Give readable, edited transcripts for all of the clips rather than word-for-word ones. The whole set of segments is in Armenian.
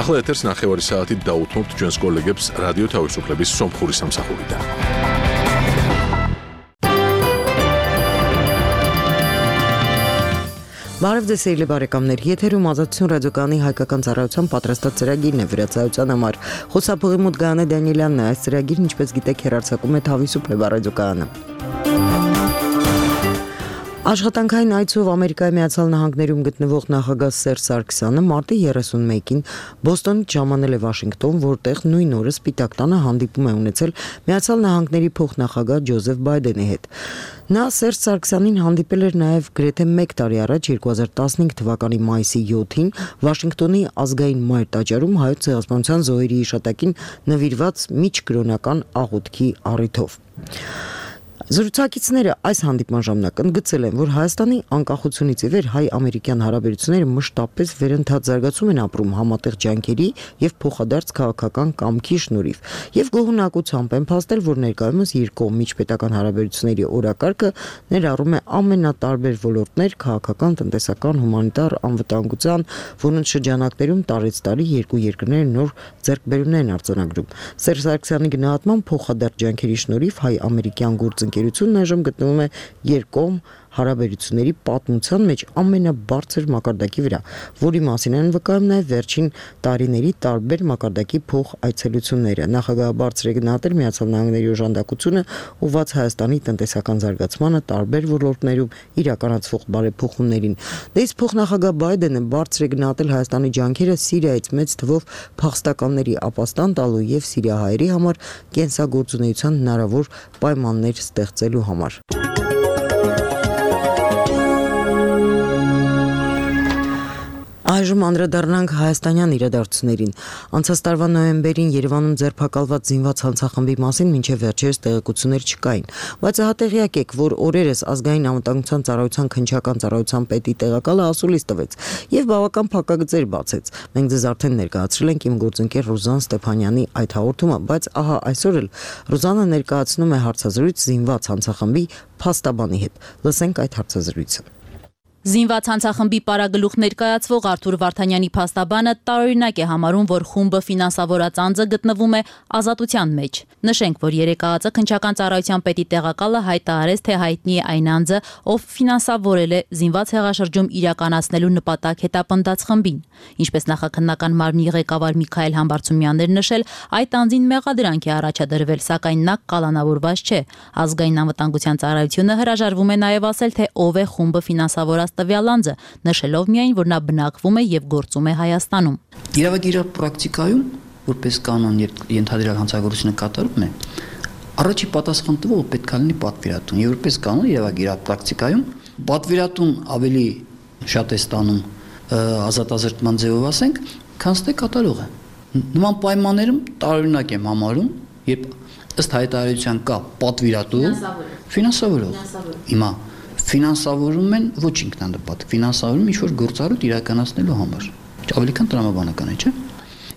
ახლა ეთერს ნახევარი საათით დაუთმობთ ჩვენს კოლეგებს რადიო თავისუფლების სომხური სამსახურიდან. Բարև ձեզ սիրելի բարեկամներ, եթերում Ազատություն ռադիոկայանի հայկական ծառայության պատրաստած ծրագիրն է վերացայության համար։ Խոսափողի մոտ Գայանե Դանիելյանն է, այս ծրագիրն ինչպես գիտեք հեռարձակում է Თავისუფლება ռադիոկայանը։ Աշխատանքային այցով Ամերիկայի Միացյալ Նահանգներում գտնվող նախագահ Սերժ Սարգսյանը մարտի 31-ին Բոստոնից ժամանել է Վաշինգտոն, որտեղ նույն օրը Սպիտակ տանը հանդիպում է ունեցել Միացյալ Նահանգների փոխնախագահ Ջոզեֆ Բայդենի հետ։ Նա Սերժ Սարգսյանին հանդիպել էր նաև գրեթե 1 տարի առաջ 2015 թվականի մայիսի 7-ին Վաշինգտոնի ազգային մայր տաճարում հայոց ցեղասպանության զոհերի հիշատակին նվիրված միջկրոնական աղոթքի առիթով։ Զրուցակիցները այս հանդիպման ժամանակ ընդգծել են, որ Հայաստանի անկախությունից ի վեր հայ-ամերիկյան հարաբերությունները մշտապես վերընթաց զարգացում են ապրում համատեղ ջանքերի եւ փոխադարձ քաղաքական կամքի շնորհիվ եւ գոհունակությամբ են փաստել, որ ներկայումս երկկողմ միջպետական հարաբերությունների օրակարգը ներառում է ամենատարբեր ոլորտներ քաղաքական, տնտեսական, հումանիտար, անվտանգության, որոնց շրջանակներում տարեց տարի երկու երկրները նոր ձեռքբերումներ են արձանագրում։ Սերժ Սարգսյանի գնահատման փոխադարձ ջանքերի շնորհիվ հայ-ամերիկյան գործընկերությունն այժմ գտնվում է երկկողմ հարաբերությունների պատմության մեջ ամենաբարձր մակարդակի վրա, որի մասին են վկայում նաև վերջին տարիների տարբեր մակարդակի փոխայցելությունները։ Նախագահը բարձր է գնահատել Միացյալ Նահանգների օժանդակությունը ուղղված Հայաստանի տնտեսական զարգացմանը տարբեր ոլորտներում իրականացվող բարեփոխումներին։ Դե իսկ փոխնախագահ Բայդենը բարձր է գնահատել Հայաստանի ջանքերը Սիրիայից մեծ թվով փախստականների ապաստան տալու եւ սիրիահայերի համար կենսագործունեության հնարավոր պայմաններ ստեղծելու համար։ Այժմ անդրադառնանք հայաստանյան իրադարձություններին։ Անցած տարվա նոյեմբերին Երևանում ձերբակալված զինված հանցախմբի մասին մինչև վերջերս տեղեկություններ չկային, բայց հատեղյակ եք, որ օրերս ազգային անվտանգության ծառայության քննչական ծառայության պետի տեղակալը ասուլիս տվեց եւ բավական փակագծեր բացեց։ Մենք ձեզ արդեն ներկայացրել ենք իմ գործընկեր Ռուզան Ստեփանյանի այդ հաղորդումը, բայց ահա այսօր էլ Ռուզանը ներկայացնում է հարցազրույց զինված հանցախմբի փաստաբանի հետ։ Լսենք այդ հարցազրույցը։ Զինված հանցախմբի պարագլուխ ներկայացվող Արթուր Վարդանյանի փաստաբանը տարօրինակ է համարում, որ խումբը ֆինանսավորած անձը գտնվում է ազատության մեջ։ Նշենք, որ երեկայածը քննչական ծառայության պետի տեղակալը հայտարարեց, թե հայտնի է այն անձը, ով ֆինանսավորել է զինված հեղաշրջում իրականացնելու նպատակ հետապնդած խմբին։ Ինչպես նախաքննական մարմնի ղեկավար Միքայել Համբարձումյանն էր նշել, այդ անձին մեղադրանք է առաջադրվել, սակայն նա կալանավորված չէ։ Ազգային անվտանգության ծառայությունը հրաժարվում է նաև ասել, թե ով է խումբը ֆինանսավորած տվյալ անձը, նշելով միայն, որ նա բնակվում է եւ գործում է Հայաստանում։ Իրավագիտական պրակտիկայում, որպես կանոն ենթադրյալ հանցագործությունը կատարում է, առաջի պատասխան տվողը պետք է լինի պատվիրատուն։ Եվ որպես կանոն իրավագիտական պրակտիկայում պատվիրատուն ավելի շատ է ստանում ազատազրկման ձևով ասենք, քան թե կատարողը։ Նման պայմաններում տարօրինակ եմ համարում, երբ ըստ հայտարարության կա պատվիրատու, ֆինանսավորող։ Հիմա ֆինանսավորում են ոչ ինքնանպատ, ֆինանսավորում ինչ-որ գործառույթ իրականացնելու համար։ Ավելի քան տրամաբանական է, չէ՞։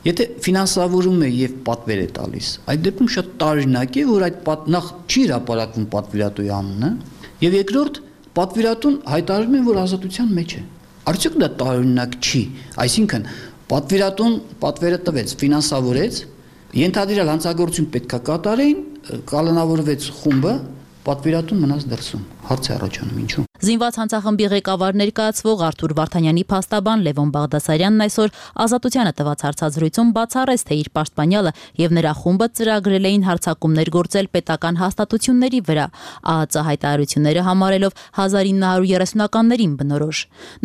Եթե ֆինանսավորում է եւ պատվեր է տալիս, այդ դեպքում շատ տարօրինակ է, որ այդ նախ չի հրապարակվում պատվիրատուի անունը, եւ երկրորդ պատվիրատուն հայտարարում է, որ ազատության մեջ է։ Արդյոք դա տարօրինակ չի, այսինքն պատվիրատուն պատվերը տվեց, ֆինանսավորեց, ենթադրյալ հանցագործություն պետք է կատարեին, կալանավորվեց խումբը, պատվիրատուն մնաց դրսում։ Հարց է առաջանում ինչու։ Զինված հանցախմբի ղեկավար ներկայացվող Արթուր Վարդանյանի փաստաբան Լևոն Բաղդասարյանն այսօր Ազատությանը տված հարցազրույցում բացառեց, թե իր պաշտպանյալը եւ նրա խումբը ծրագրել էին հարձակումներ գործել պետական հաստատությունների վրա, ԱԱԾ հայտարարությունները համարելով 1930-ականներին բնորոշ։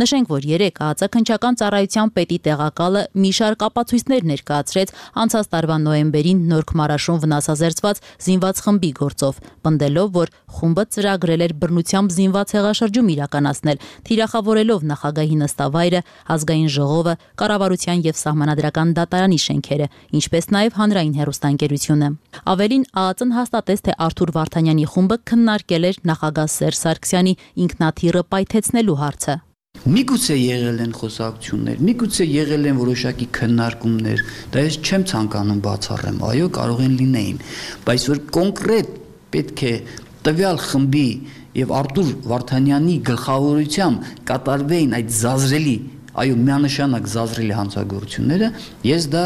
Նշենք, որ երեք ԱԱԾ քննչական ծառայության պետի տեղակալը մի շարք ապացույցներ ներկայացրեց անցած տարվա նոյեմբերին Նորք Մարաշում վնասազերծված զինված խմբի գործով, պնդելով, որ խումբը ծրագրել էր բռնությամբ զինված հեղաշրջում իրականացնել, թիրախավորելով նախագահի նստավայրը, ազգային ժողովը, կառավարության եւ սահմանադրական դատարանի շենքերը, ինչպես նաեւ հանրային հեռուստաընկերությունը։ Ավելին ԱԱԾ-ն հաստատեց, թե Արթուր Վարդանյանի խումբը քննարկել էր նախագահ Սերժ Սարգսյանի ինքնաթիռը պայթեցնելու հարցը։ Միգուցե եղել են խոսակցություններ, միգուցե եղել են որոշակի քննարկումներ, դա ես չեմ ցանկանում բացառեմ, այո, կարող են լինեին, բայց որ կոնկրետ պետք է տվյալ խմբի եւ Արթուր Վարդանյանի գլխավորությամբ կատարվեին այդ զազրելի այո, միանշանակ զազրելի հանցագործությունները, ես դա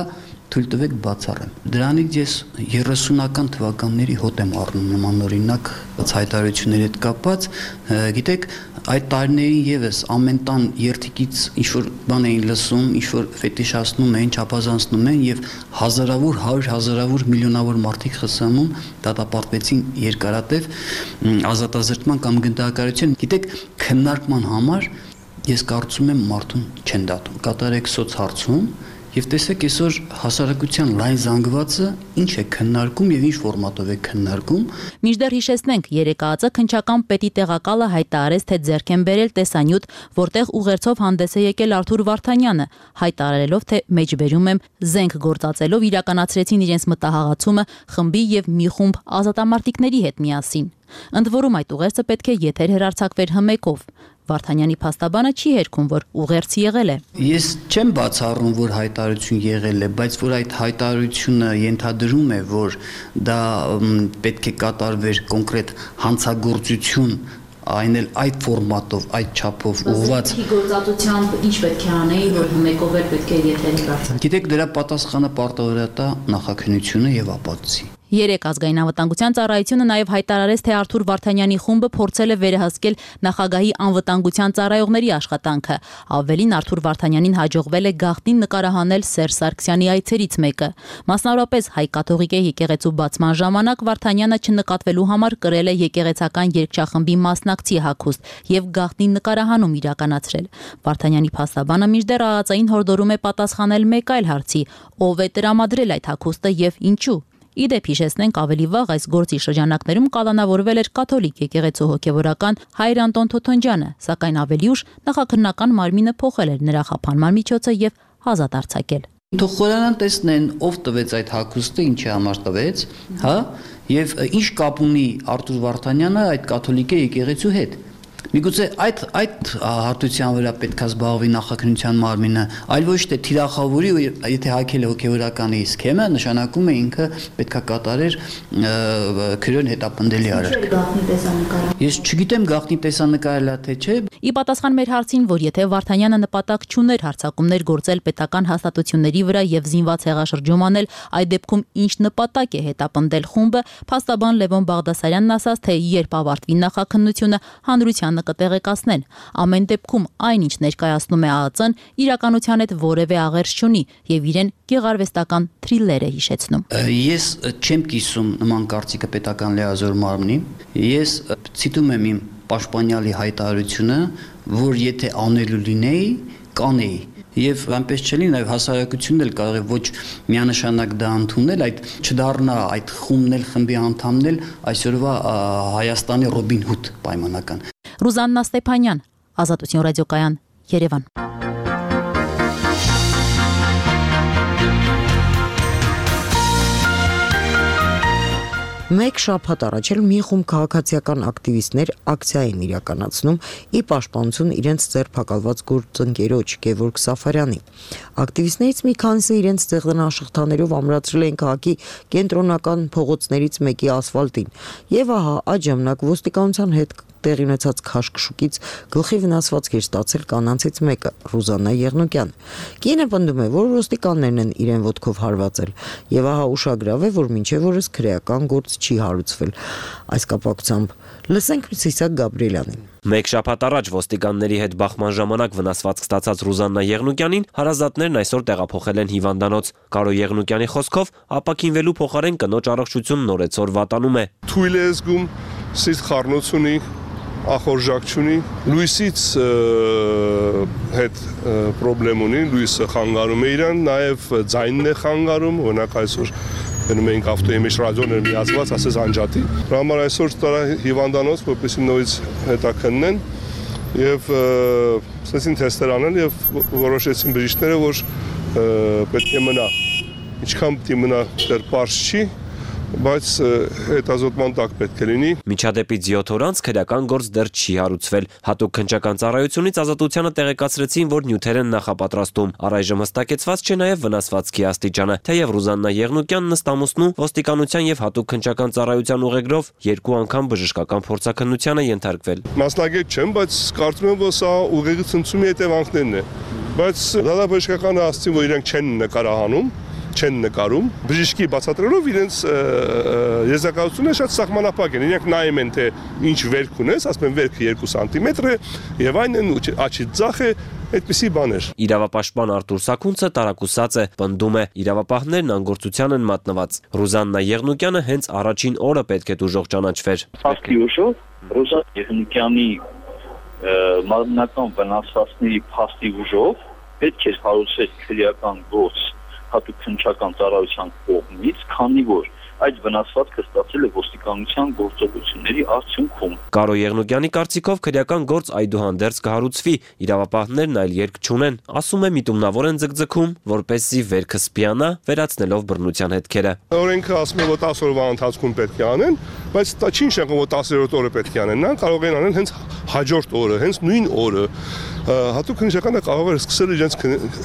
թույլ տվեք բացառեմ։ Դրանից ես 30-ական թվականների հոտ եմ առնում նմանօրինակ հայտարարությունների հետ կապված, գիտեք, այդ տարիներին եւս ամեն տան երթիկից ինչ-որ բան էին լսում, ինչ-որ ֆետիշացնում էին, չափազանցնում են եւ հազարավոր, 100-հազարավոր, միլիոնավոր մարդիկ ԽՍՀՄ-ում դատապարտվեցին երկարատև ազատազրկման կամ գնդակարություն։ Գիտեք, քննարկման համար ես կարծում եմ մարդուն չեն դատում։ Կատարեք սոցհարցում եւ տեսեք այսօր հասարակության լայն զանգվածը ինչ է քննարկում եւ ինչ ֆորմատով է քննարկում։ Մինչդեռ հիշեցնենք, երեկայածը քննչական պետի տեղակալը հայտարարեց, թե ձեռք են բերել տեսանյութ, որտեղ ուղերձով հանդես է եկել Արթուր Վարդանյանը, հայտարարելով, թե մեջբերում եմ զենք գործածելով իրականացրեցին իրենց մտահղացումը խմբի եւ մի խումբ ազատամարտիկների հետ միասին։ Ընդ որում այդ ուղերձը պետք է եթեր հեռարձակվեր հմեկով։ Վարդանյանի փաստաբանը չի հերքում, որ ուղերձ եղել է։ Ես չեմ բացառում, որ հայտարարություն եղել է, բայց որ այդ հայտարարությունը ենթադրում է, որ դա պետք է կատարվեր կոնկրետ հանցագործություն, այն էլ այդ ֆորմատով, այդ չափով ուղղված գործածությամբ ինչ պետք է անեի, որ հմեկով էլ պետք է եթեր հեռարձակվի։ Գիտեք, դրա պատասխանը պարտավորատա նախաքննությունը եւ ապացուցի։ Երեք ազգային անվտանգության ծառայությունը նաև հայտարարեց, թե Արթուր Վարդանյանի խումբը փորձել է վերահսկել նախագահի անվտանգության ծառայողների աշխատանքը։ Ավելին, Արթուր Վարդանյանին հաջողվել է գաղտնի նկարահանել Սերժ Սարգսյանի այցերից մեկը։ Մասնավորապես հայ կաթողիկե եկեղեցու բացման ժամանակ Վարդանյանը չնկատվելու համար կրել է եկեղեցական երգչախմբի մասնակցի հագուստ եւ գաղտնի նկարահանում իրականացրել։ Վարդանյանի փաստաբանը մինչդեռ ԱԱԾ-ին հորդորում է պատասխանել մեկ այլ հարցի՝ ով է տրամադրել այդ հագուստը եւ ինչու։ Իդեպ հիշեցնենք, ավելի վաղ այս գործի շրջանակներում կալանավորվել էր կաթոլիկ եկեղեցու հոգևորական Հայր Անտոն Թոթոնջյանը, սակայն ավելի ուշ նախաքննական մարմինը փոխել էր նրա խափանման միջոցը եւ ազատ արձակել։ Թող խորանան տեսնեն, ով տվեց այդ հագուստը, ինչի համար տվեց, հա, եւ ինչ կապ ունի Արթուր Վարդանյանը այդ կաթոլիկե եկեղեցու հետ։ Միգուցե այդ հարթության վրա պետք է զբաղվի նախաքննության մարմինը, այլ ոչ թե թիրախավորի, եթե հակել է հոգևորականի սքեմը, նշանակում է ինքը պետք է կատարեր քրոն հետապնդելի արար։ Ես չգիտեմ գաղտնի տեսանկարելա թե չէ։ Ի պատասխան մեր հարցին, որ եթե Վարդանյանը նպատակ չուներ հարձակումներ գործել պետական հաստատությունների վրա եւ զինված հեղաշրջում անել, այդ դեպքում ինչ նպատակ է հետապնդել խումբը, փաստաբան Լևոն Բաղդասարյանն ասաց, թե երբ ավարտվի նախաքննությունը, հանրությանը կտեղեկացնեն։ Ամեն դեպքում այնինչ ներկայացնում է ԱԱԾ-ն, իրականության հետ որևէ աղերս չունի եւ իրեն գեղարվեստական թրիլեր է հիշեցնում։ Ես չեմ կիսում նման կարծիքը պետական լիազոր մարմնի։ Ես ցիտում եմ իմ պաշտպանյալի հայտարարությունը, որ եթե անելու լինեի, կանեի։ Եվ այնպես չլինի, նաև հասարակությունն էլ կարող է ոչ միանշանակ դա ընդունել, այդ չդառնա այդ խումբն էլ խմբի անդամն էլ այսօրվա Հայաստանի Ռոբին Հուդ պայմանական։ Ռուզաննա Ստեփանյան, Ազատություն ռադիոկայան, Երևան։ Մեկ շաբաթ առաջ էլ մի խումբ քաղաքացիական ակտիվիստներ ակցիա են իրականացնում ի պաշտպանություն իրենց ձերբակալված գործընկերոջ Գևորգ Սաֆարյանի։ Ակտիվիստներից մի քանիսը իրենց ձեղնաշխտաներով ամրացրել են քաղաքի կենտրոնական փողոցներից մեկի ասֆալտին։ Եվ ահա այդ ժամանակ ոստիկանության հետ տեղի ունեցած քաշքշուկից գլխի վնասվածք էր ստացել կանանցից մեկը, Ռուզաննա Եղնուկյան։ Կինը պնդում է, որ ոստիկաններն են իրեն ոտքով հարվածել, եւ ահա ուշագրավ է, որ մինչեւ օրս քրեական գործ չի հարուցվել։ Այս կապակցությամբ լսենք Սիսակ Գաբրիելյանին։ Մեկ շաբաթ առաջ ոստիկանների հետ բախման ժամանակ վնասվածք ստացած Ռուզաննա Եղնուկյանին հարազատներն այսօր տեղափոխել են հիվանդանոց։ Կարո Եղնուկյանի խոսքով ապակինվելու փոխարեն կնոջ առողջությունն օրեցօր վատանում է։ Թույլ է զգում, սիրտ խառնություն ունի, ախորժակ չունի, լույսից հետ պրոբլեմ ունի, լույսը խանգարում է իրան, նաև ձայնն է խանգարում, օրինակ այսօր գնում էինք ավտոյի մեջ ռադիոներ միացված, ասես անջատի։ Դրա համար այսօր տարա հիվանդանոց, որպեսզի նորից հետաքննեն եւ սկսեցին թեստեր անել եւ որոշեցին բժիշկները, որ պետք է մնա։ Ինչքան պետք է մնա, դեռ պարզ չի, բայց հետազոտման տակ պետք է լինի։ Միջադեպից 7 օր անց քրեական գործ դեռ չի հարուցվել։ Հատուկ քննչական ծառայությունից Ազատությանը տեղեկացրեցին, որ նյութեր են նախապատրաստում։ Առայժմ հստակեցված չէ նաև վնասվածքի աստիճանը, թեև Ռուզաննա Եղնուկյանն ըստ ամուսնու ոստիկանության եւ հատուկ քննչական ծառայության ուղեգրով 2 անգամ բժշկական փորձաքննության է ենթարկվել։ Մասնագետ չեմ, բայց կարծում եմ, որ սա ուղեղի ցնցումի հետևանքներն է։ բայց դատաբժշկականը ասացին, որ իրենք չեն նկարահանում, չեն նկարում, բժիշկի բացատրելով իրենց եզրակացությունը շատ սահմանափակ են, իրենք նայում են, թե ինչ վերք ունես, ասում են վերքը 2 սանտիմետր է եւ այն են աչի ձախ է, այդպիսի բաներ։ Իրավապաշտպան Արտուր Սաքունցը տարակուսած է, պնդում է, իրավապահներն անգործության են մատնված։ Ռուզաննա Եղնուկյանը հենց առաջին օրը պետք է դժոխ ճանաչվեր։ Փաստի ուժով Ռուզաննա Եղնուկյանի մարմնական վնասվածքների փաստի ուժով պետք է հարուցել քրեական գործ հատուկ քննչական ծառայության կողմից, քանի որ այդ վնասվածքը ստացել է ոստիկանության գործողությունների արդյունքում։ Կարո Եղնուկյանի կարծիքով քրեական գործ այդուհանդերձ կհարուցվի, իրավապահներն այլ երկ չունեն, ասում է միտումնավոր են ձգձգում, որպեսզի վերքը սպիանա, վերացնելով բռնության հետքերը։ Օրենքը ասում է, որ 10 օրվա ընթացքում պետք է անեն, բայց դա չի նշանակում, որ 10-րդ օրը պետք է անեն, նա կարող են անել հենց հաջորդ օրը, հենց նույն օրը։ Հատուկ քննիչականը կարող է սկսել իրենց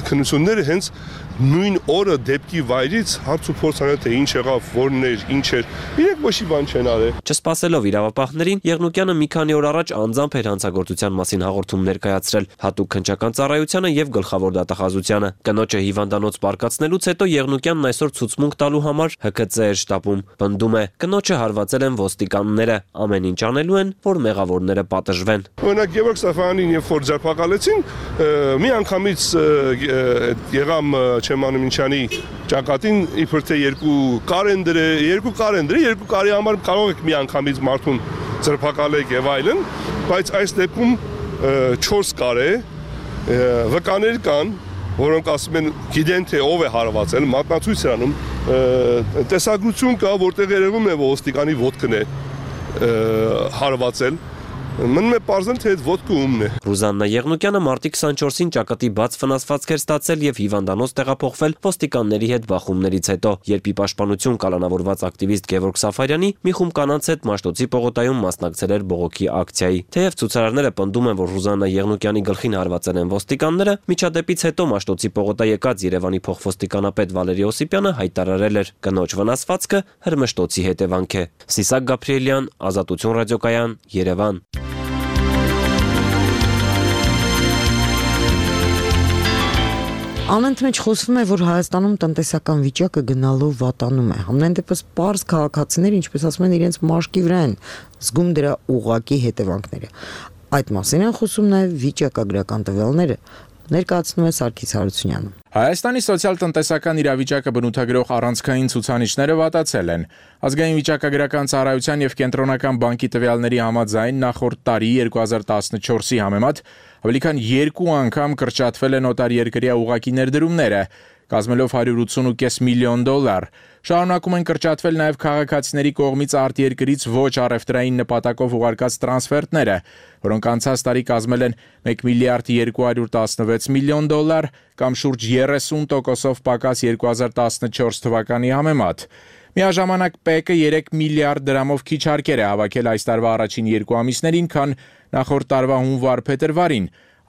քննությունները հենց նույն օրը դեպքի վայրից հարց ու փորձ անել, թե ինչ եղավ, որն էր, ինչ էր։ Իրենք ոչ մի բան չեն արել։ Չսպասելով իրավապահներին, Եղնուկյանը մի քանի օր առաջ անձամբ էր հանցագործության մասին հաղորդում ներկայացրել հատուկ քննչական ծառայությանը եւ գլխավոր դատախազությանը։ Կնոջը հիվանդանոց պարկացնելուց հետո Եղնուկյանն այսօր ցուցմունք տալու համար ՀԿՑ էր շտապում։ Պնդում է, կնոջը հարվածել են ոստիկանները, ամեն ինչ անելու են, որ մեղավորները պատժվեն։ Օրինակ Գևորգ Սաֆյանին երբ որ ձերբակալեցին, մի անգամից եղամ Չեմանումինչյանի ճակատին իբր թե 2 կարենդր է, 2 կարի համար կարող եք մի անգամից մարդուն ձերբակալեք եւ այլն, բայց այս դեպքում 4 կար է, վկաներ կան, որոնք ասում են գիտեն թե ով է հարվածել, մատնացույց է անում, տեսագրություն կա, որտեղ երևում է ոստիկանի ոտքն է հարվածել։ Մնում է պարզել, թե այդ ոտքը ումն է։ Ռուզաննա Եղնուկյանը մարտի 24-ին ճակատի բաց վնասվածք էր ստացել եւ հիվանդանոց տեղափոխվել ոստիկանների հետ բախումներից հետո, երբ ի պաշտպանություն կալանավորված ակտիվիստ Գևորգ Սաֆարյանի մի խումբ կանանց հետ Մաշտոցի պողոտայում մասնակցել էր բողոքի ակցիայի։ Թեև ցուցարարները պնդում են, որ Ռուզաննա Եղնուկյանի գլխին հարվածել են ոստիկանները, միջադեպից հետո Մաշտոցի պողոտա եկած Երևանի փոխվոստիկանապետ Վալերի Օսիպյանը հայտարարել էր. կնոջ վնասվածքը հրմշտոցի հետևանք է։ Սիսակ Գաբրիելյան, Ազատություն ռադիոկայան, Երևան։ Անընդմեջ խոսվում է, որ Հայաստանում տնտեսական վիճակը գնալով վատանում է։ Համենայն դեպս պարզ քաղաքացիները, ինչպես ասում են, իրենց մաշկի վրա են զգում դրա ուղղակի հետևանքները։ Այդ մասին են խոսում նաև վիճակագրական տվյալները, ներկայացնում է Սարգիս Հարությունյանը։ Հայաստանի սոցիալ-տնտեսական իրավիճակը բնութագրող առանցքային ցուցանիշները վատացել են։ Ազգային վիճակագրական ծառայության եւ Կենտրոնական բանկի տվյալների համաձայն նախորդ տարի 2014-ի համեմատ ավելի քան 2 անգամ կրճատվել են օտարերկրյա ուղղակի ներդրումները, կազմելով $180.5 միլիոն։ Շարունակում են կրճատվել նաև քաղաքացիների կողմից արտերկրից ոչ առևտրային նպատակով ուղարկած տրանսֆերտները, որոնք անցած տարի կազմել են $1.216 միլիոն կամ շուրջ 30% պակաս 2014 թվականի համեմատ։ Միաժամանակ ՊԵԿ-ը 3 միլիարդ դրամով քիչ հարկեր է հավաքել այս տարվա առաջին 2 ամիսներին, քան նախորդ տարվա հունվար-փետրվարին։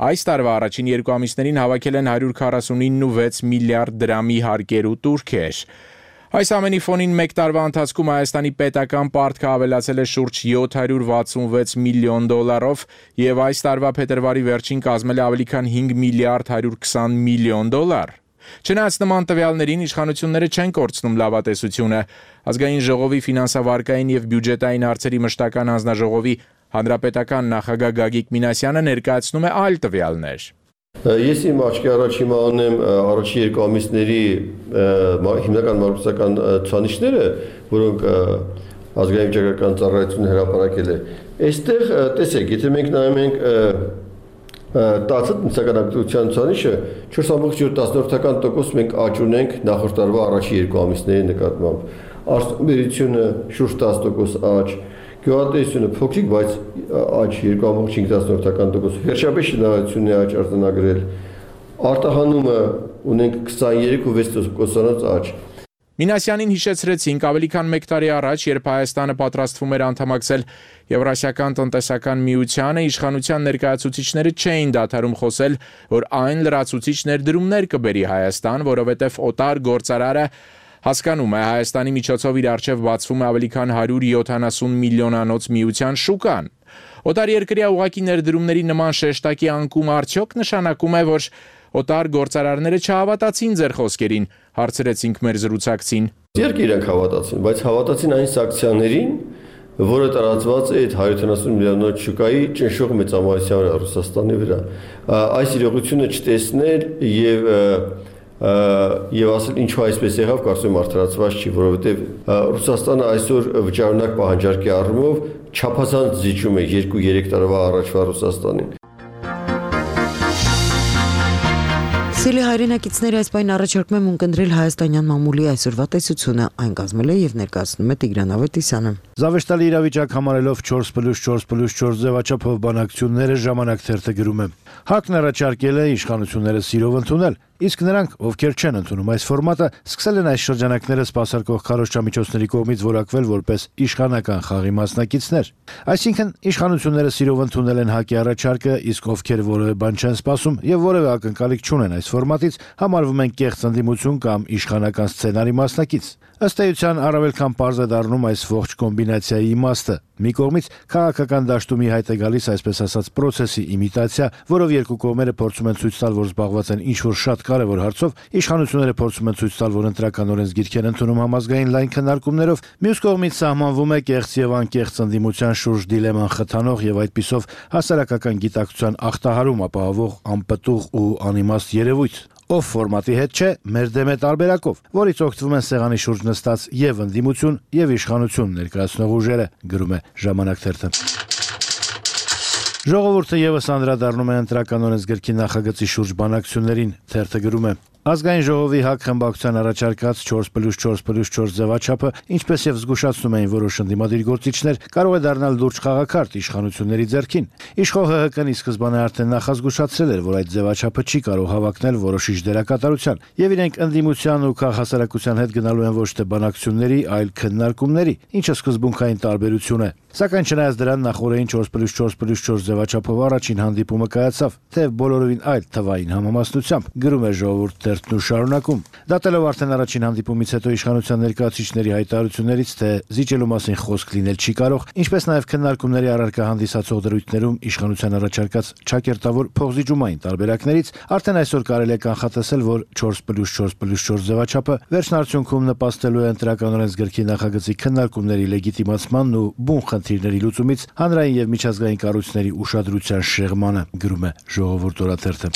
Այս տարվա առաջին 2 ամիսներին հավաքել են 149.6 միլիարդ դրամի հարկեր ու տուրքեր։ Այս ամենի ֆոնին մեկ տարվա ընթացքում Հայաստանի պետական պարտքը ավելացել է շուրջ $766 միլիոն եւ այս տարվա փետրվարի վերջին կազմել է ավելի քան $5 միլիարդ 120 միլիոն։ Չնայած նման տվյալներին իշխանությունները չեն կորցնում լավատեսությունը։ Ազգային ժողովի ֆինանսավարկային եւ բյուջետային հարցերի մշտական հանձնաժողովի հանրապետական նախագահ Գագիկ Մինասյանը ներկայացնում է այլ տվյալներ։ Ես իմ աչքի առաջ հիմա ունեմ առաջի 2 ամիսների հիմնական մակրոսական ցուցանիշները, որոնք ազգային վիճակագրական ծառայությունը հրապարակել է։ Այստեղ տեսեք, եթե մենք նայում ենք տնտեսական ակտիվության ցուցանիշը 4.7% մենք աճ ունենք նախորդ տարվա առաջի 2 ամիսների նկատմամբ։ Արտադրությունը շուրջ 10% աճ, գյուղատնտեսությունը փոքրիկ, բայց աճ 2.5%, վերջապես շինարարությունն է աճ արձանագրել։ Արտահանումը ունենք 23.6% աճ։ Մինասյանին հիշեցրեցինք ավելի քան 1 տարի առաջ, երբ Հայաստանը պատրաստվում էր անդամակցել Եվրասիական տնտեսական միությանը, իշխանության ներկայացուցիչները չէին դադարում խոսել, որ այն լրացուցիչ ներդրումներ կբերի Հայաստան, որովհետև օտար գործարարը հասկանում է Հայաստանի միջոցով իր առջև բացվում է ավելի քան 170 միլիոնանոց միության շուկան։ Օտարերկրյա ուղղակի ներդրումների նման շեշտակի անկում արդյոք նշանակում է, որ Օտար գործարարները չհավատացին ձեր խոսքերին, հարցրեցինք մեր զրուցակցին։ Իհարկե իրենք հավատացին, բայց հավատացին այն սանկցիաներին, որը տարածված է այդ 170 միլիոնոց շուկայի ճնշող մեծամասնության վրա Ռուսաստանի վրա։ Այս իրողությունը չտեսնել եւ ասել ինչու այսպես եղավ, կարծում եմ արդարացված չի, որովհետեւ Ռուսաստանը այսօր վճարունակ պահանջարկի առումով չափազանց զիջում է 2-3 տարվա առաջվա Ռուսաստանին։ Սիրելի հայրենակիցներ, այս պայն առաջարկում եմ ունկնդրել հայաստանյան մամուլի այսօրվա տեսությունը, այն կազմել է եւ ներկայացնում է Տիգրան Ավետիսյանը։ Զավեշտալի իրավիճակ համարելով 4+4+4 ձևաչափով բանակցությունները ժամանակ թերթը գրում է։ ՀԱԿ-ն առաջարկել է իշխանությունները սիրով ընդունել, իսկ նրանք, ովքեր չեն ընդունում այս ֆորմատը, սկսել են այս շրջանակները սպասարկող քարոզչամիջոցների կողմից որակվել որպես իշխանական խաղի մասնակիցներ։ Այսինքն իշխանությունները սիրով ընդունել են ՀԱԿ-ի առաջարկը, իսկ ովքեր որևէ բան չեն սպասում եւ որևէ ակնկալիք չունեն այս ֆորմատից, համարվում են կեղծ ընդդիմություն կամ իշխանական սցենարի մասնակից։ Ըստ էության առավել քան պարզ է դառնում այս ողջ կոմբինացիայի իմաստը։ Մի կողմից քաղաքական դաշտում ի հայտ է գալիս այսպես ասած պրոցեսի իմիտացիա, որով երկու կողմերը փորձում են ցույց տալ, որ զբաղված են ինչ-որ շատ կարևոր հարցով, իշխանությունները փորձում են ցույց տալ, որ ընտրական օրենսգիրք են ընդունում համազգային լայն քննարկումներով, մյուս կողմից սահմանվում է կեղծ եւ անկեղծ ընդդիմության շուրջ դիլեման խթանող եւ այդպիսով հասարակական գիտակցության ախտահարում ապահովող անպտուղ ու անիմաստ երևույթ։ Ով ֆորմատի հետ չէ, մեր դեմ է տարբերակով, որից օգտվում են սեղանի շուրջ նստած եւ ընդդիմություն եւ իշխանություն ներկայացնող ուժերը, գրում է Ժամանակ թերթը։ Ժողովուրդը եւս անդրադառնում է ընտրական օրենսգրքի նախագծի շուրջ բանակցություններին, թերթը գրում է. Ազգային ժողովի ՀԱԿ խմբակցության առաջարկած 4+4+4 ձևաչափը, ինչպես եւ զգուշացնում էին որոշ ընդդիմադիր գործիչներ, կարող է դառնալ լուրջ խաղաքարտ իշխանությունների ձեռքին։ Իշխող ՀՀԿ-ն ի սկզբանե արդեն նախազգուշացրել էր, որ այդ ձևաչափը չի կարող հավակնել որոշիչ դերակատարության, եւ իրենք ընդդիմության ու քաղաքասարակության հետ գնալու են ոչ թե բանակցությունների, այլ քննարկումների, ինչը սկզբունքային տարբերություն է։ Սակայն չնայած դրան նախորդին 4+4+4 ձևաչափով առաջին հանդիպումը կայացավ, թեև բոլորովին այլ թվային համամասնությամբ, գրում է Ժողովուրդ թերթն ու շարունակում։ Դատելով արդեն առաջին հանդիպումից հետո իշխանության ներկայացուցիչների հայտարարություններից, թե զիջելու մասին խոսք լինել չի կարող, ինչպես նաև քննարկումների առարկա հանդիսացող դրույթներում իշխանության առաջարկած ճակերտավոր փոխզիջումային տարբերակներից, արդեն այսօր կարելի է կանխատեսել, որ 4+4+4 ձևաչափը վերջնարդյունքում նպաստելու է ընտրական օրենսգրքի նախագծի քննարկումների լեգիտիմացմանն ու բուն խնդիրների լուծումից հանրային եւ միջազգային կառույցների ուշադրության շեղմանը, գրում է Ժողովուրդ օրաթերթը։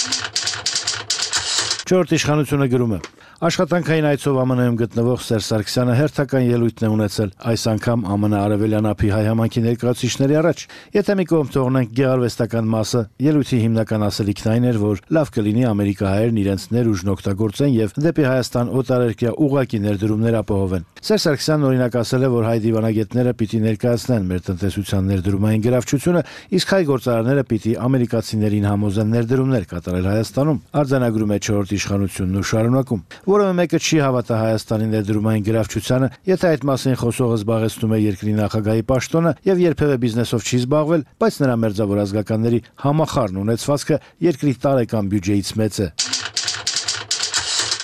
Չորրորդ իշխանությունը գրում է. Աշխատանքային այցով ԱՄՆ-ում գտնվող Սերժ Սարգսյանը հերթական ելույթն է ունեցել, այս անգամ ԱՄՆ արևելյան ափի հայ համայնքի ներկայացուցիչների առաջ։ Եթե մի կողմ թողնենք գեղարվեստական մասը, ելույթի հիմնական ասելիքն այն էր, որ լավ կլինի ամերիկահայերն իրենց ներուժն օգտագործեն եւ դեպի Հայաստան օտարերկրյա ուղղակի ներդրումներ ապահովեն։ Սերժ Սարգսյանն օրինակ ասել է, որ հայ դիվանագետները պիտի ներկայացնեն մեր տնտեսության ներդրումային գրավչությունը, իսկ հայ գործարարները պիտի ամերիկացիներին համոզեն ներդրումներ կատարել Հայաստանում։ Արձանագրում է 4-րդ իշխանությունն ու շարունակում. Որևէ մեկը չի հավատա Հայաստանի ներդրումային գրավչությանը, եթե այդ մասին խոսողը զբաղեցնում է երկրի նախագահի պաշտոնը եւ երբևէ բիզնեսով չի զբաղվել, բայց նրա մերձավոր ազգականների համախառն ունեցվածքը երկրի տարեկան բյուջեից մեծ է։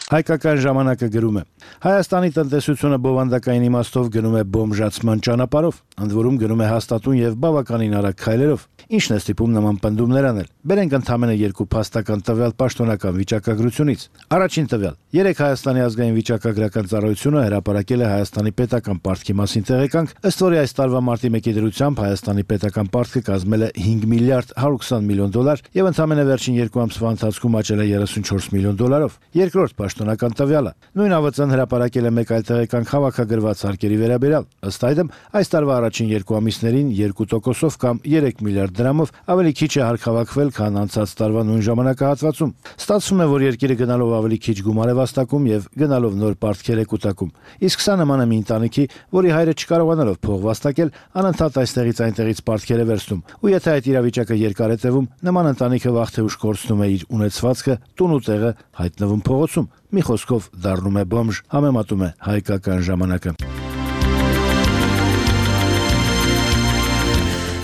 Հայկական ժամանակը գրում է. Հայաստանի տնտեսությունը բովանդակային իմաստով գնում է բոմժացման ճանապարհով, ընդ որում գնում է հաստատուն եւ բավականին արագ քայլերով։ Ինչն է ստիպում նման պնդումներ անել։ Բերենք ընդհանրապես երկու փաստական տվյալ պաշտոնական վիճակագրությունից։ Առաջին տվյալ. 3 Հայաստանի ազգային վիճակագրական ծառայությունը հրապարակել է Հայաստանի պետական պարտքի մասին տեղեկանք, ըստ որի այս տարվա մարտի 1-ի դրությամբ Հայաստանի պետական պարտքը կազմել է 5 միլիարդ 120 միլիոն դոլար եւ ընդհանրապես վերջին 2 ամսվա ընթացքում աճել է 34 միլիոն դոլարով։ Երկրորդ պաշտոնական տվյալը. նույն ԱՎԾ-ն հրապարակել է մեկ այլ տեղեկանք հավաքագրված հարկերի վերաբերյալ։ Ըստ այդմ, այս տարվա առաջին 2 ամիսներին 2%-ով կամ 3 միլիարդ դրամով ավելի քիչ է հարկ հավաքվել, քան անցած տարվա նույն ժամանակահատվածում։ Ստացվում է, որ երկիրը գնալով ավելի քիչ գումար է վաստակում եւ գնալով նոր պարտքեր է կուտակում։ Իսկ սա նման է մի ընտանիքի, որի հայրը չկարողանալով փող վաստակել, անընդհատ այստեղից այնտեղից պարտքեր է վերցնում։ Ու եթե այդ իրավիճակը երկար է տևում, նման ընտանիքը վաղ թե ուշ կորցնում է իր ունեցվածքը, տուն ու տեղը, հայտնվում փողոցում։ Մի խոսքով դառնում է բոմժ, համեմատում է Հայկական ժամանակը։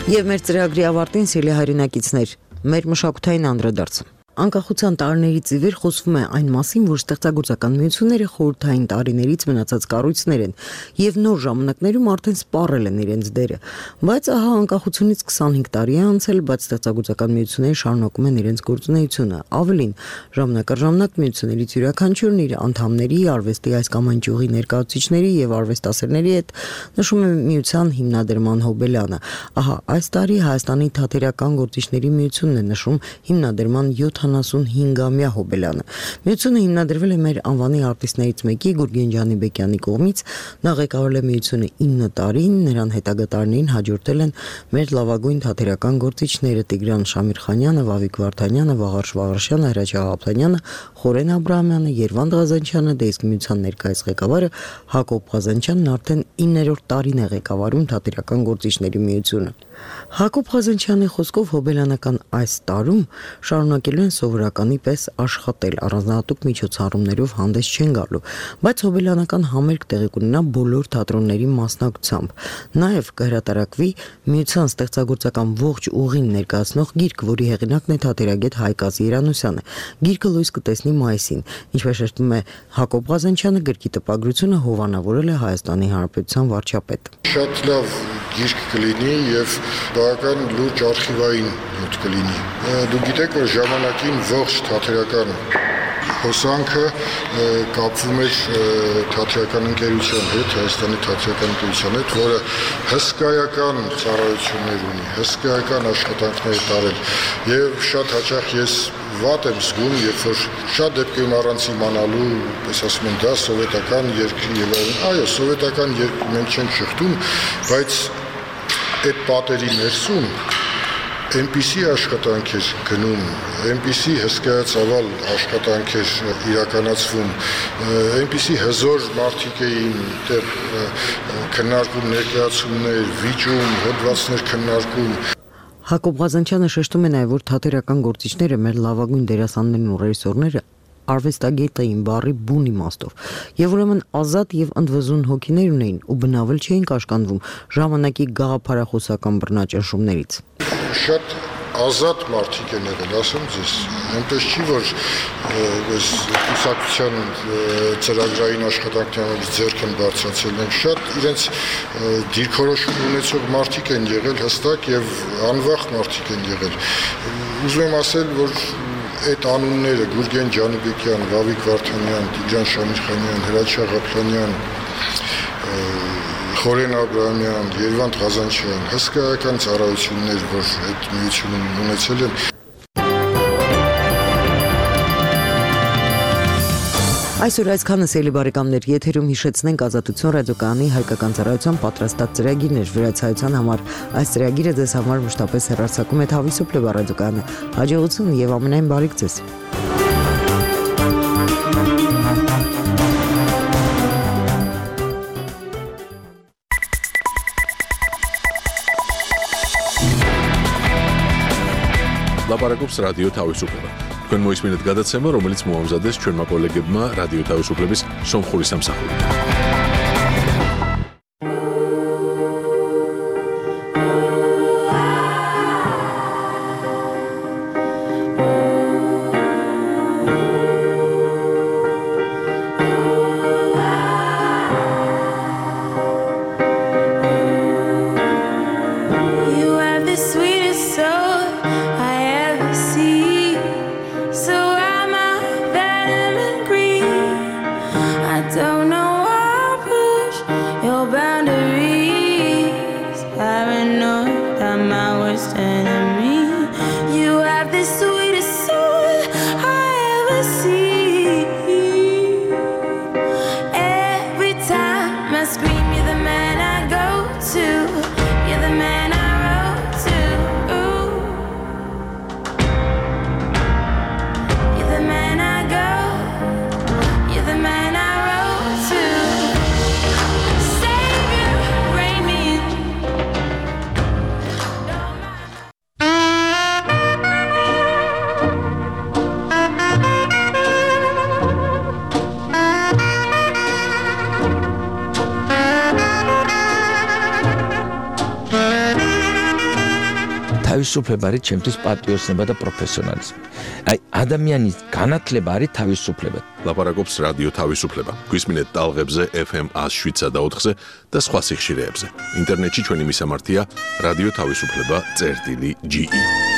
Եվ մեր ծրագրի ավարտին, սիրելի հայրենակիցներ, մեր մշակութային անդրադարձ։ Անկախության տարիներից ի վեր խոսվում է այն մասին, որ ստեղծագործական միությունները խորհրդային տարիներից մնացած կառույցներ են եւ նոր ժամանակներում արդեն սպառել են իրենց դերը։ Բայց ահա անկախությունից 25 տարի է անցել, բայց ստեղծագործական միությունները շարունակում են իրենց գործունեությունը։ Ավելին, ժամանակ առ ժամանակ միություններից յուրաքանչյուրն իր անդամների, արվեստի այս կամ այն ճյուղի ներկայացուցիչների եւ արվեստասերների հետ նշում է միության հիմնադրման հոբելյանը։ Ահա այս տարի Հայաստանի թատերական գործիչների միությունն է նշում հիմնադրման 75-ամյա հոբելյանը։ Միությունը հիմնադրվել է մեր անվանի արտիստներից մեկի Գուրգեն Ջանիբեկյանի կողմից, նա ղեկավարել է միությունը 9 տարին, նրան հետագա տարիներին հաջորդել են մեր լավագույն թատերական գործիչները Տիգրան Շամիրխանյանը, Վավիկ Վարդանյանը, Վաղարշ Վաղարշյանը, Հրաչ Աղաբանյանը, Խորեն Աբրահամյանը, Երվանդ Ղազանչյանը, դե իսկ միության ներկայիս ղեկավարը Հակոբ Ղազանչյանն արդեն 9-րդ տարին է ղեկավարում թատերական գործիչների միությունը։ Հակոբ Ղազանչյանի խոսքով հոբելյանական այս տարում շարունակելու են սովորականի պես աշխատել, առանձնահատուկ միջոցառումներով հանդես չեն գալու, բայց հոբելյանական համերգ տեղի կունենա բոլոր թատրոնների մասնակցությամբ։ Նաև կհրատարակվի միության ստեղծագործական ողջ ուղին ներկայացնող գիրք, որի հեղինակն է թատերագետ Հայկազ Երանուսյանը։ Գիրքը լույս կտեսնի մայիսին, ինչպես շեշտում է Հակոբ Ղազանչյանը, գրքի տպագրությունը հովանավորել է Հայաստանի Հանրապետության վարչապետը։ Շատ լավ գիրք կլինի եւ բավական լուրջ արխիվային նյութ կլինի։ Դու գիտեք, որ ժամանակին ողջ թատերական հոսանքը կապվում էր թատերական ընկերության հետ, Հայաստանի թատերական ընկերության հետ, որը հսկայական ծառայություններ ունի, հսկայական աշխատանքներ տարել եւ շատ հաճախ ես վատ եմ զգում, երբ որ շատ դեպքերում առանց իմանալու, պես ասում են, դա սովետական երկրի եւ այլն։ Այո, սովետական երկրի մենք չենք շղթում, բայց այդ պատերի ներսում այնպիսի աշխատանք էր գնում, այնպիսի հսկայածավալ աշխատանք էր իրականացվում, այնպիսի հզոր մարդիկ էին դեռ քննարկում ներկայացումներ, վիճում, հոդվածներ քննարկում։ Հակոբ Ղազանչյանը շեշտում է նաև, որ թատերական գործիչները, մեր լավագույն դերասաններն ու ռեժիսորները արվեստագետ էին բառի բուն իմաստով, եւ ուրեմն ազատ եւ ընդվզուն հոգիներ ունեին ու բնավել չէին կաշկանդվում ժամանակի գաղափարախոսական բռնաճնշումներից։ Շատ ազատ մարդիկ են եղել, ասեմ ձեզ, այնպես չի, որ այս կուսակցության ծրագրային աշխատանքներից ձեռք են բարձրացել, են շատ իրենց դիրքորոշում ունեցող մարդիկ են եղել հստակ եւ անվախ մարդիկ են եղել։ Ուզում եմ ասել, որ այդ անունները Գուրգեն Ջանիբեկյան, Վավիկ Վարդանյան, Տիգրան Շամիրխանյան, Հրաչ Աղաբանյան, Խորեն Աբրահամյան, Երվանդ Ղազանչյան, հսկայական ծառայություններ, որ այդ միությունում ունեցել են։ Այսօր այսքանը սիրելի բարեկամներ, եթերում հիշեցնենք Ազատություն ռադիոկայանի հայկական ծառայության պատրաստած ծրագիրներ վրացայության համար։ Այս ծրագիրը ձեզ համար մշտապես հեռարձակում է Թավիսոպլե ռադիոկայանը։ Հաջողություն եւ ամենայն բարիք ձեզ։ Լապարակոպս ռադիո Թավիսոպլե։ Քան մոյս մինուտ գադացեմը, რომელიც մոհամզադես չոր մակոլեգեբմա ռադիո Թավիսոպլեբիս Սոմխորիս ամսախորի։ Սուպերբարի ჩემთვის պատիոսნება და პროფեսიონალიზმი. Այ ადამიანის განათლება არის თავისუფლება. Լապարակობს ռադիո თავისუფლება. Գույսմինետ տալղებზე FM 104-ը და სხვა სიხშირეებზე. ინტერნეტში ჩვენი მისამართია რადიო თავისუფლება.ge